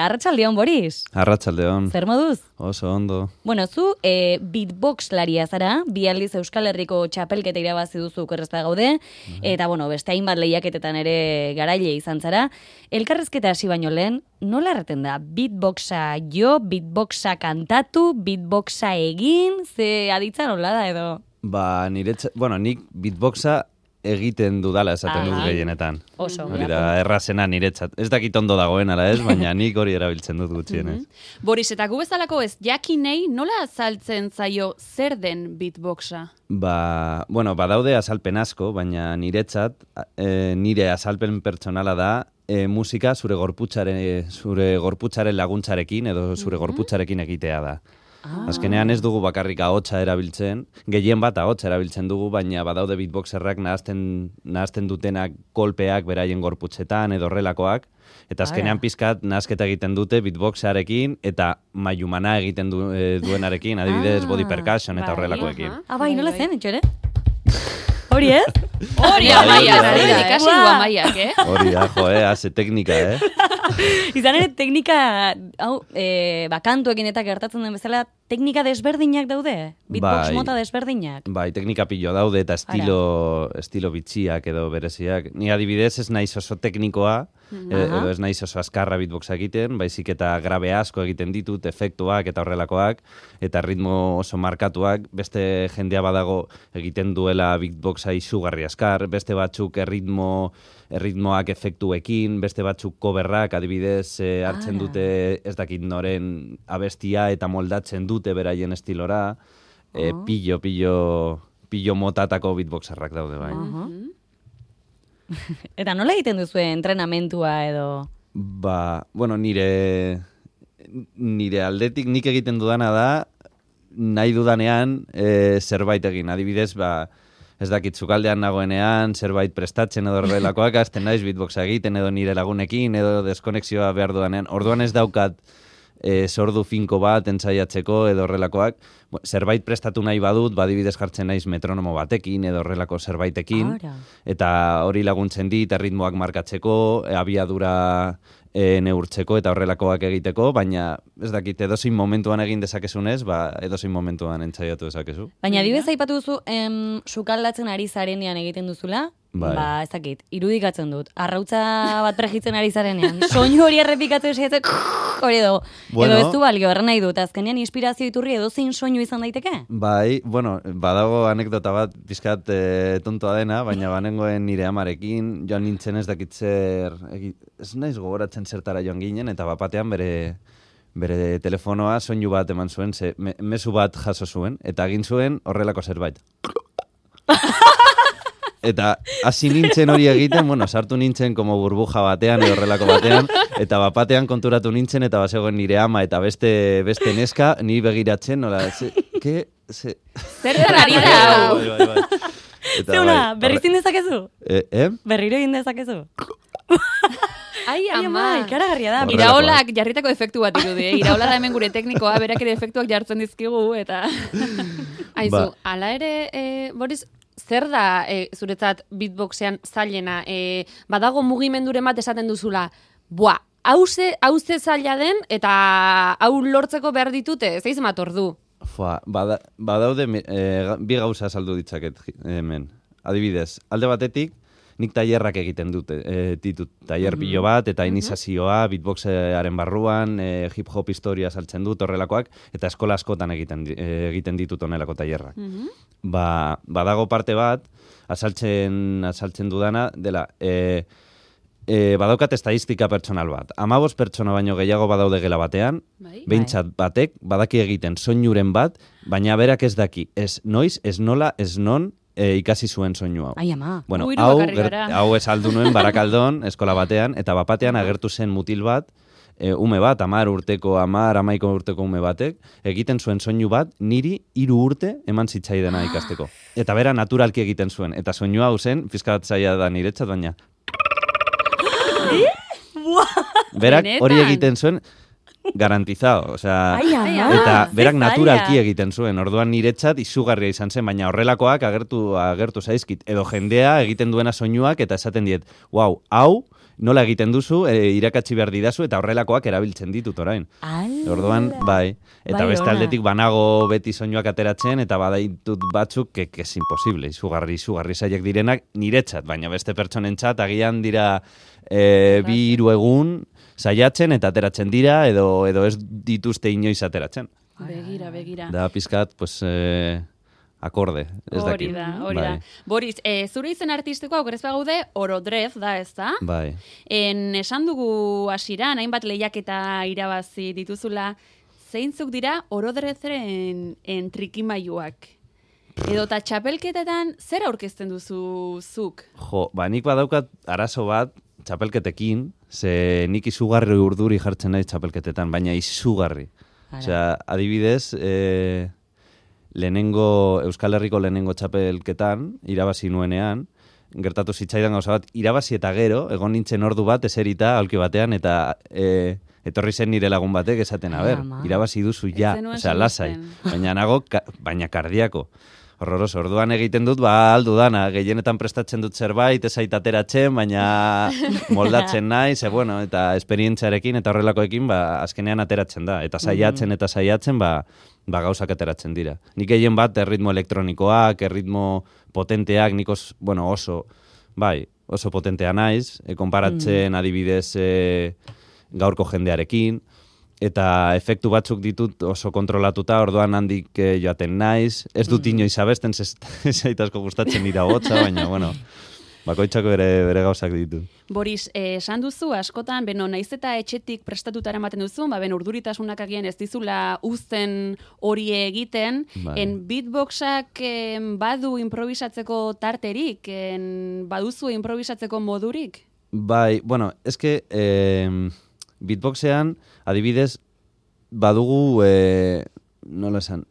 Arratsaldeon, Boris. Arratsaldeon. Zer moduz? Oso ondo. Bueno, zu beatboxlaria zara, bi aldiz Euskal Herriko txapelketa irabazi duzu okerrezpa gaude, eta beste hainbat lehiaketetan ere garaile izan zara. Elkarrezketa hasi baino lehen, nola erraten da? Beatboxa jo, beatboxa kantatu, beatboxa egin, ze aditza nola da edo? Nik beatboxa egiten dudala esaten dut gehienetan. Oso. Hori da, errazena niretzat. Ez dakit ondo dagoen, ala ez, baina nik hori erabiltzen dut gutxienez. Boris, eta gu bezalako ez jakinei nola azaltzen zaio zer den beatboxa? Badaude azalpen asko, baina niretzat, nire azalpen pertsonala da, musika zure gorputzaren laguntzarekin edo zure gorputzarekin egitea da. Azkenean ez dugu bakarrik ahotsa erabiltzen, gehien bat ahotsa erabiltzen dugu, baina badaude beatboxerrak nahazten dutenak kolpeak beraien gorputzetan edo horrelakoak, eta azkenean pizkat nahasketa egiten dute beatboxarekin eta mailumana egiten duenarekin, adibidez body percussion eta horrelakoekin. Bai, nola zen, etxore? Hori ez? Hori Amaia, ikasi du Amaiak, Hori da, haze teknika, Izan ere, teknika, kantuekin eta gertatzen den bezala, teknika desberdinak daude? Beatbox mota desberdinak? Bai, teknika pilo daude eta estilo bitxiak edo bereziak. Ni adibidez ez naiz oso teknikoa, edo ez naiz oso azkarra beatboxa egiten, baizik eta grabe asko egiten ditut, efektuak eta horrelakoak, eta ritmo oso markatuak. Beste jendea badago egiten duela beatboxa izugarri azkar, beste batzuk erritmoak efektuekin, beste batzuk coverrak, adibidez, hartzen dute ez dakit noren abestia eta moldatzen dute beraien estilora, pillo motatako beatboxerrak daude bai. Eta nola egiten duzu entrenamentua edo? Nire aldetik nik egiten dudana da, nahi dudanean zerbait egin. Adibidez, ez dakit zukaldean nagoenean, zerbait prestatzen edo horrelakoak, azten naiz beatboxa egiten edo nire lagunekin edo deskonexioa behar dudanean. Orduan ez daukat sordu finko bat entzaiatzeko edo horrelakoak. Zerbait prestatu nahi badut, adibidez jartzen naiz metronomo batekin edo horrelako zerbaitekin. Eta hori laguntzen dit, erritmoak markatzeko, abiadura neurtzeko eta horrelakoak egiteko, baina ez dakit edozein momentuan egin dezakezunez, edozein momentuan entzaiatu dezakezu. Baina adibidez aipatu duzu, sukaldatzen ari zarenean egiten duzula, ez dakit, irudikatzen dut. Arrautza bat pregitzen ari zarenean. Soinu hori errepikatzen esatzen, hori edo. Edo ez du balio, erren nahi dut. Azkenean inspirazio iturri edozein soinu izan daiteke? Badago anekdota bat, pizkat tontoa dena, baina banengoen nire amarekin, joan nintzen ez dakit zer, ez naiz gogoratzen zertara joan ginen, eta bapatean bere telefonoa soinu bat eman zuen, mezu bat jaso zuen, eta egin zuen horrelako zerbait. Eta hasi nintzen hori egiten, sartu nintzen como burbuja batean edo horrelako batean, eta bapatean konturatu nintzen, eta bazegoen nire ama eta beste neska, ni begiratzen, zer da ari da hau? Zeuna, berriz indezakezu? Berriro indezakezu? Ai, ama, ikaragarria da. Iraolak jarritako efektu bat irudi, Iraola da hemen gure teknikoa, berak ere efektuak jartzen dizkigu, eta... Aizu, ala ere, Boris, zer da zuretzat beatboxean zailena? Badago mugimenduren bat esaten duzula, hauze zaila den, eta hau lortzeko behar ditute, zeiz mator du? Badaude, bi gauza saldu ditzaket hemen. Adibidez, alde batetik, nik tailerrak egiten ditut tailer pilo bat, eta iniziazioa, beatboxearen barruan, hip-hop historia saltzen dut, horrelakoak, eta eskola askotan egiten ditut honelako tailerrak. Badago parte bat, azaltzen dudana, dela, badaukat estadistika pertsonal bat. 15 pertsona baino gehiago badaude gela batean, behintzat batek, badaki egiten soinuren bat, baina berak ez daki, ez noiz, ez nola, ez non, ikasi zuen soinu hau. Ai, ama. Hau esaldu nuen Barakaldon, eskola batean, eta bapatean agertu zen mutil bat, ume bat, 11 urteko ume batek, egiten zuen soinu bat, niri 3 urte eman zitzaidena ikasteko. Eta bera naturalki egiten zuen. Eta soinu hau zen, fiskat zaila da niretzat, baina... Berak hori egiten zuen, garantizado, eta berak naturalki egiten zuen, orduan niretzat izugarria izan zen, baina horrelakoak agertu zaizkit, edo jendea egiten duena soinuak eta esaten diet, hau nola egiten duzu, irakatsi behar didazu, eta horrelakoak erabiltzen ditut orain. Orduan, bai. Eta beste aldetik banago beti soinuak ateratzen, eta badaitut batzuk, que es imposible, izugarri zaiek direnak niretzat, baina beste pertsonentzat agian dira 2-3 egun saiatzen eta ateratzen dira, edo ez dituzte inoiz ateratzen. Begira. Da pizkat, pues... akorde, ez dakit. Hori da. Boris, zure izen artistikoa okerez bagaude, Orodrez da, ez da? Bai. Esan dugu hasieran, hainbat lehiaketa irabazi dituzula, zeintzuk dira Orodrezren trikimailuak? Edo eta txapelketetan, zer aurkezten duzu zuk? Nik badaukat arazo bat txapelketekin, ze nik izugarri urduri jartzen nahi txapelketetan, baina izugarri. Osea, adibidez, Euskal Herriko lehenengo txapelketan, irabazi nuenean, gertatu zitzaidan gauza bat, irabazi eta gero, egon nintzen ordu bat eserita aulki batean, eta etorri zen nire lagun batek esaten, irabazi duzu ja, osea, lasai, baina kardiako. Horroroso, orduan egiten dut, aldu dana, gehienetan prestatzen dut zerbait, ez ateratzen, baina moldatzen nahi, eta esperientziarekin eta horrelakoekin, azkenean ateratzen da, eta saiatzen, gauzak ateratzen dira. Nik gehien bat, erritmo elektronikoak, erritmo potenteak, nik oso potentea naiz, konparatzen adibidez gaurko jendearekin, eta efektu batzuk ditut oso kontrolatuta, orduan handik joaten naiz. Ez dut inoiz abesten, zaitazko gustatzen dira hotza, baina, bakoitzako bere gauzak ditut. Boris, esan duzu, askotan, naiz eta etxetik prestatutara ematen duzu, urduritasunak agian ez dizula uzten hori egiten, beatboxak badu improvisatzeko tarterik, baduzu improvisatzeko modurik? Bai, eske... Beatboxean, adibidez, badugu,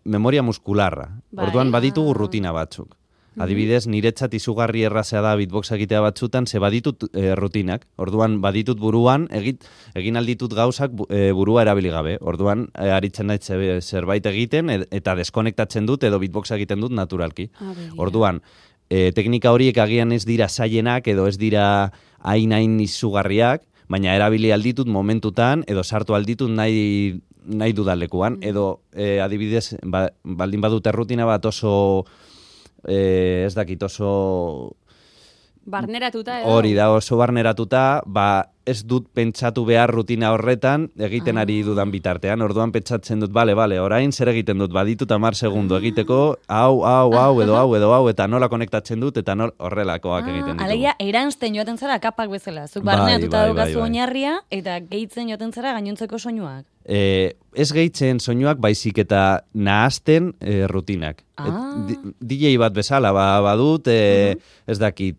memoria muskularra. Orduan baditugu rutina batzuk. Adibidez, niretzat izugarri errazea da beatboxa egitea batzutan, ze baditut rutinak. Orduan, baditut buruan, egin alditut gauzak burua erabili gabe. Orduan, aritzen naiz zerbait egiten, eta deskonektatzen dut, edo beatboxa egiten dut naturalki. Orduan, teknika horiek agian ez dira zailenak, edo ez dira hain izugarriak, baina erabili alditut momentutan, edo sartu alditut nahi dudalekuan, edo adibidez, baldin badute rutina bat oso, ez dakit, oso... Barneratuta edo? Hori da, oso barneratuta, ez dut pentsatu behar rutina horretan, egiten ari dudan bitartean. Orduan pentsatzen dut, bale, orain zer egiten dut, baditut 10 segundo egiteko, hau, eta nola konektatzen dut, eta horrelakoak egiten ditugu. Alegia, eranzten joaten zara kapak bezala. Zuk barneratuta daukazu oinarria, eta gehitzen joaten zara gainontzeko soinuak. Ez gehitzen soinuak, baizik eta nahazten rutinak. DJ bat bezala, badut, ez dakit,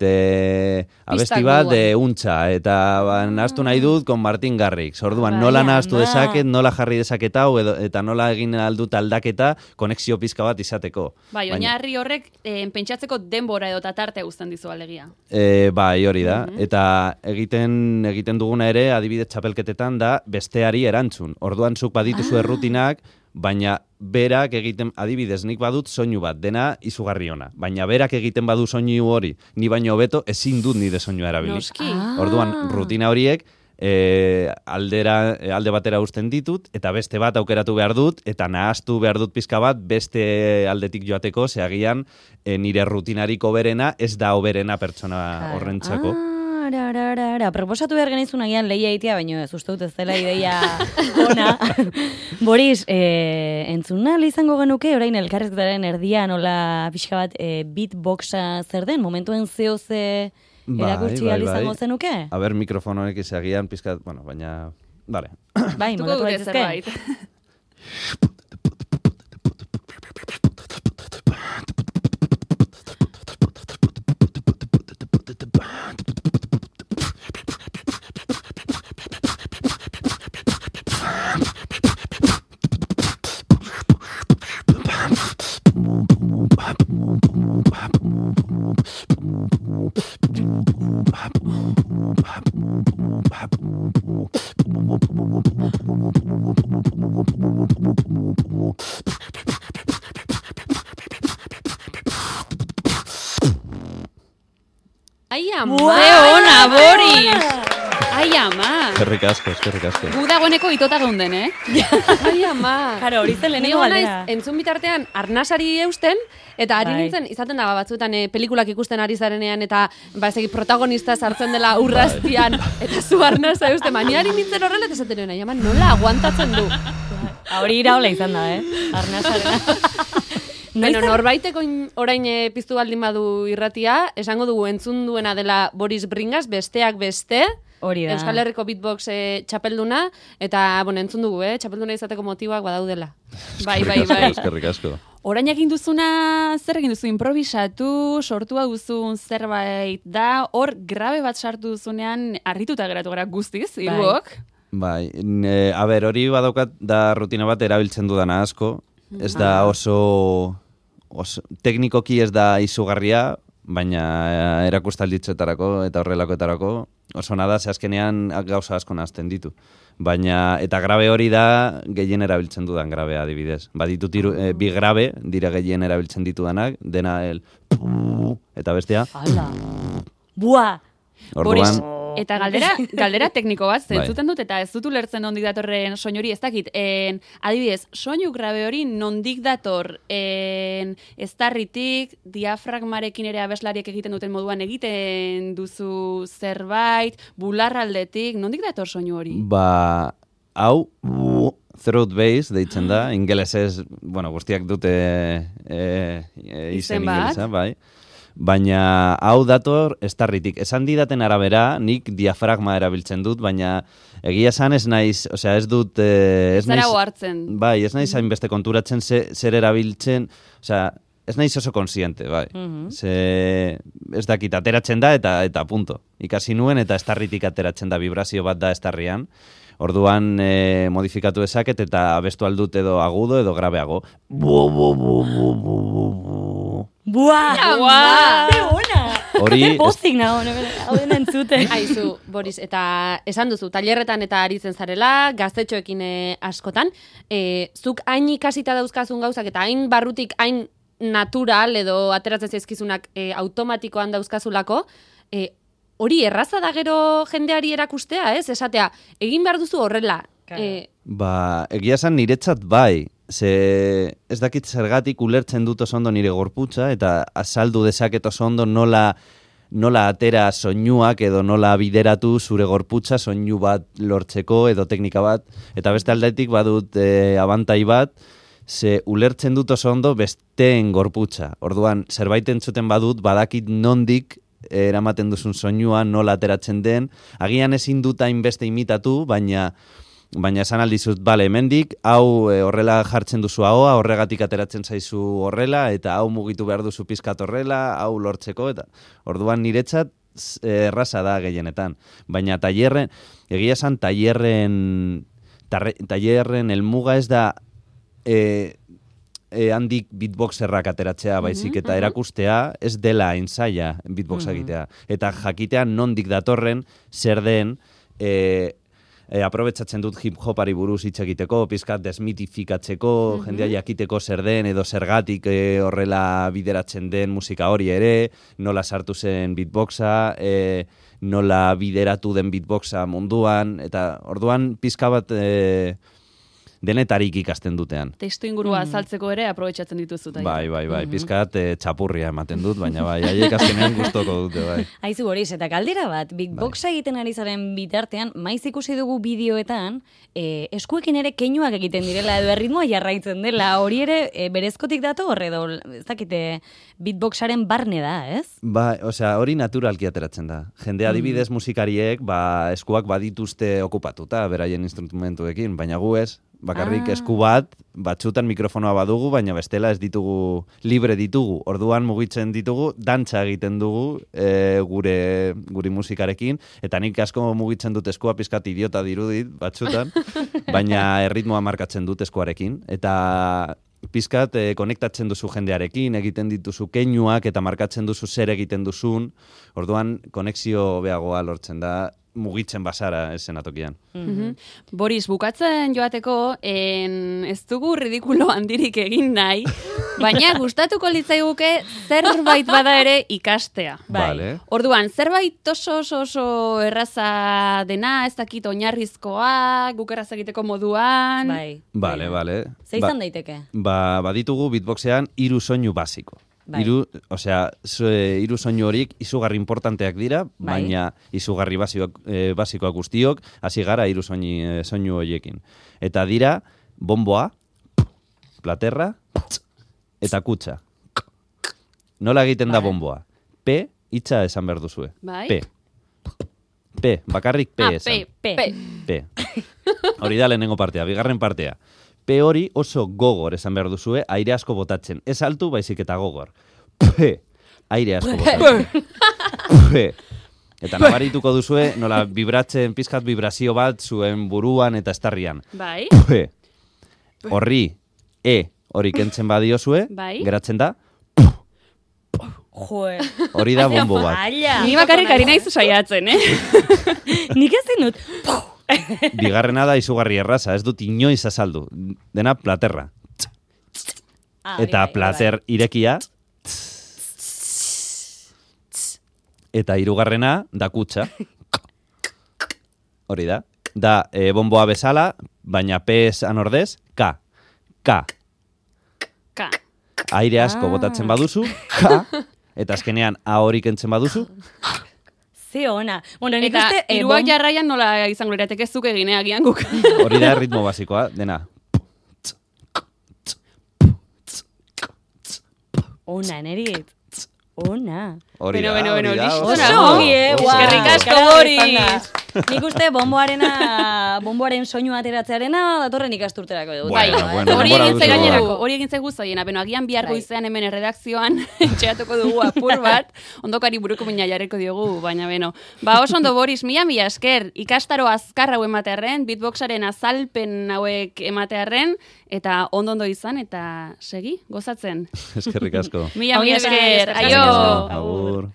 abesti bat untxa, eta nahaztu nahi dut kon Martin Garrix. Orduan, nola nahaztu dezaket, nola jarri dezaket hau, eta nola egin aldut aldaketa konexio pizka bat izateko. Bai, oinarri horrek pentsatzeko denbora edo tarte guztan dizu alegia. Bai, hori da. Eta egiten duguna ere, adibidez txapelketetan da, besteari erantzun. Orduan, zuk badituzu errutinak, baina berak egiten, adibidez, nik badut soinu bat, dena izugarri ona. Baina berak egiten badu soinu hori, ni baino hobeto ezin dut nire soinua erabili. Orduan, rutina horiek alde batera uzten ditut, eta beste bat aukeratu behar dut, eta nahaztu behar dut pizka bat, beste aldetik joateko, zeagian nire rutinarik oberena, ez da oberena pertsona horrentzako. Proposatu behar genizun agian lehia egitea, baina ez uste dut ez dela ideia ona. Boris, entzuna izango genuke, orain elkarrezketaren erdian, nola pixka bat beatboxa zer den, momentuen zehoze erakutsi izango zenuke? A ber, mikrofonoek izagian pizkat, baina, bale. Bai, moldatu baitezke. Ai, ama! Ze ona, Boris! eskerrik asko. Gu dagoeneko itota geunden, Ai, ama. Karo, hori zen lehenengo galdera. Entzun bitartean, arnasari eusten, eta ari Bai. nintzen, izaten da, batzuetan pelikulak ikusten ari zarenean, eta protagonista sartzen dela urraztian, eta zu arnasa eusten, baina ari nintzen horrela, eta esaten nahi, ama, nola aguantatzen du. Hori iraola izan da, Arnasarena. Bueno, norbaiteko orain piztu baldin badu irratia, esango dugu entzun duena dela Boris Bringas, besteak beste, Hori da. Euskal Herriko beatbox txapelduna, eta, entzun dugu, txapelduna izateko motiboak badaudela. Bai. Eskerrik asko. Orain egin duzuna, zer egin duzu, improvisatu, sortua duzun zerbait da, hor grabe bat sartu duzunean, harrituta geratu gara guztiz, hiruok. Bai, hori badaukat da rutina bat erabiltzen dudana asko, ez da oso teknikoki ez da izugarria, baina erakustalditzetarako eta horrelakoetarako oso nada, ze azkenean gauza asko nazten ditu. Baina, eta grabe hori da gehien erabiltzen dudan grabea adibidez. Baditut bi grabe dira gehien erabiltzen ditudanak, dena eta bestea. Hala. Bua! Orduan, Eta galdera tekniko bat, Bai. zentzuten dut, eta ez dut ulertzen nondik datorren soinu hori, ez dakit, adibidez, soinu grabe hori nondik dator, eztarritik, diafragmarekin ere abeslariek egiten duten moduan egiten duzu zerbait, bularraldetik, nondik dator soinu hori? hau, throat bass deitzen da, ingelesez, guztiak dute izen bat. ingelesa, bai. Baina hau dator estarritik. Esan didaten arabera, nik diafragma erabiltzen dut, baina egia esan ez naiz, ez dut... ez zara naiz, ohartzen. Bai, ez naiz hainbeste konturatzen zer erabiltzen, ez naiz oso konsiente, bai. Ez dakit, ateratzen da eta punto. Ikasi nuen eta estarritik ateratzen da, vibrazio bat da estarrian. Orduan modifikatu ezaket eta abestu aldut edo agudo edo grabeago. Bua! Ze ona! Hori... Pozik nago, hau den entzuten. Aizu, Boris, eta esan duzu, tailerretan eta aritzen zarela, gaztetxoekin askotan, zuk hain ikasita dauzkazun gauzak eta hain barrutik, hain natural edo ateratzen zaizkizunak automatikoan dauzkazulako, hori erraza da gero jendeari erakustea, ez? Esatea, egin behar duzu horrela. Egia esan niretzat bai. Ze ez dakit zergatik ulertzen dut oso ondo nire gorputza eta azaldu dezaket oso ondo nola atera soinuak edo nola bideratu zure gorputza soinu bat lortzeko edo teknika bat. Eta beste aldetik badut abantai bat, ze ulertzen dut oso ondo besteen gorputza. Orduan, zerbait entzuten badut, badakit nondik eramaten duzun soinua, nola ateratzen den. Agian ezin dut hainbeste imitatu, baina esan aldizut, bale, hemendik, hau horrela jartzen duzu ahoa, horregatik ateratzen zaizu horrela, eta hau mugitu behar duzu pizkat horrela, hau lortzeko, eta orduan niretzat erraza da gehienetan. Baina egia esan tailerren helmuga ez da handik beatboxerrak ateratzea baizik, eta erakustea ez dela ensaia beatboxa egitea. Eta jakitea nondik datorren, zer den, aprobetsatzen dut hip-hopari buruz hitz egiteko, pizkat desmitifikatzeko, jendea jakiteko zer den, edo zergatik horrela bideratzen den musika hori ere, nola sartu zen beatboxa, nola bideratu den beatboxa munduan, eta orduan pizka bat denetarik ikasten dutean. Testu ingurua azaltzeko ere aprobetsatzen dituzu. Bai, pizkat txapurria ematen dut, baina bai, haiek azkenean gustoko dute, bai. Aizu, Boris, eta galdera bat, beatboxa egiten ari zaren bitartean, maiz ikusi dugu bideoetan, eskuekin ere keinuak egiten direla, edo erritmoa jarraitzen dela, hori ere berezkotik dato horre edo, ez dakite, beatboxaren barne da, ez? Ba, hori naturalki ateratzen da. Jende adibidez musikariek, eskuak badituzte okupatuta, beraien instrumentuekin, baina gu ez, bakarrik esku bat, batzutan mikrofonoa badugu, baina bestela ez ditugu, libre ditugu. Orduan mugitzen ditugu, dantza egiten dugu guri musikarekin, eta nik asko mugitzen dut eskua pizkat idiota dirudit batzutan, baina erritmoa markatzen dut eskuarekin, eta pizkat konektatzen duzu jendearekin, egiten dituzu keinuak eta markatzen duzu zer egiten duzun, orduan konexio beagoa lortzen da, mugitzen basara esenatokian. Boris, bukatzen joateko, ez dugu ridikulo handirik egin nahi, baina gustatuko litzaiguke zerbait bada ere ikastea. Vale. Orduan, zerbait oso erraza dena, ez dakit oinarrizkoa, guk erraz egiteko moduan. Bai. Vale. Ze izan daiteke? Baditugu beatboxean 3 soinu basiko. Bai. Hiru soinu horik izugarri importanteak dira, Bai. baina izugarri basikoak guztiok, hasi gara 3 soinu horiekin. Eta dira, bomboa, platerra, eta kutsa. Nola egiten da bomboa? P, hitza esan behar duzue. Bai. P, bakarrik P esan. P. Hori da lehenengo partea, bigarren partea. P hori oso gogor esan behar duzue, aire asko botatzen. Ez altu, baizik eta gogor. P, aire asko botatzen. P. Eta nabarituko duzue, nola vibratzen, pizkat vibrazio bat zuen buruan eta estarrian. Bai. P. Horri, hori kentzen badiozue, Bai. geratzen da, Joe. hori da bombo bat. Ni bakarrik ari naiz saiatzen, Nik ezin dut. Bigarrena da izugarri erraza, ez dut inoiz azaldu. Dena platerra. Eta plater irekia. Eta hirugarrena da kutsa. Hori da. Da bomboa bezala, baina P esan ordez, K. Aire asko botatzen baduzu, K. Eta azkenean A hori kentzen baduzu, Ze ona. Bueno, nik Eta uste... hiruak jarraian nola izango lirateke zuk egine agian guk. hori da ritmo basikoa, dena. Ona, nerit. Ona. Hori da, Beno, hori da, listo oso nago. ondo, Ongi, oso guau. Eskerrik ondo. asko, Gara Boris. bezala. Nik uste bomboaren soinu ateratzearena datorren ikasturterako dugu. Bueno, Bai, bueno, Hori denbora egin ze duzu. gainerako, hori egin zegu zaiena, beno agian bihar Bai. goizean hemen erredakzioan etxeatuko dugu apur bat, ondokari buruko mina jarreko diogu, baina beno. Oso ondo Boris, mila esker, ikastaro azkar hau ematearren, beatboxaren azalpen hauek ematearren, eta ondo izan, eta segi, gozatzen. Eskerrik asko. Mila Ongi esker, esan, aio! eskerrik asko. Agur.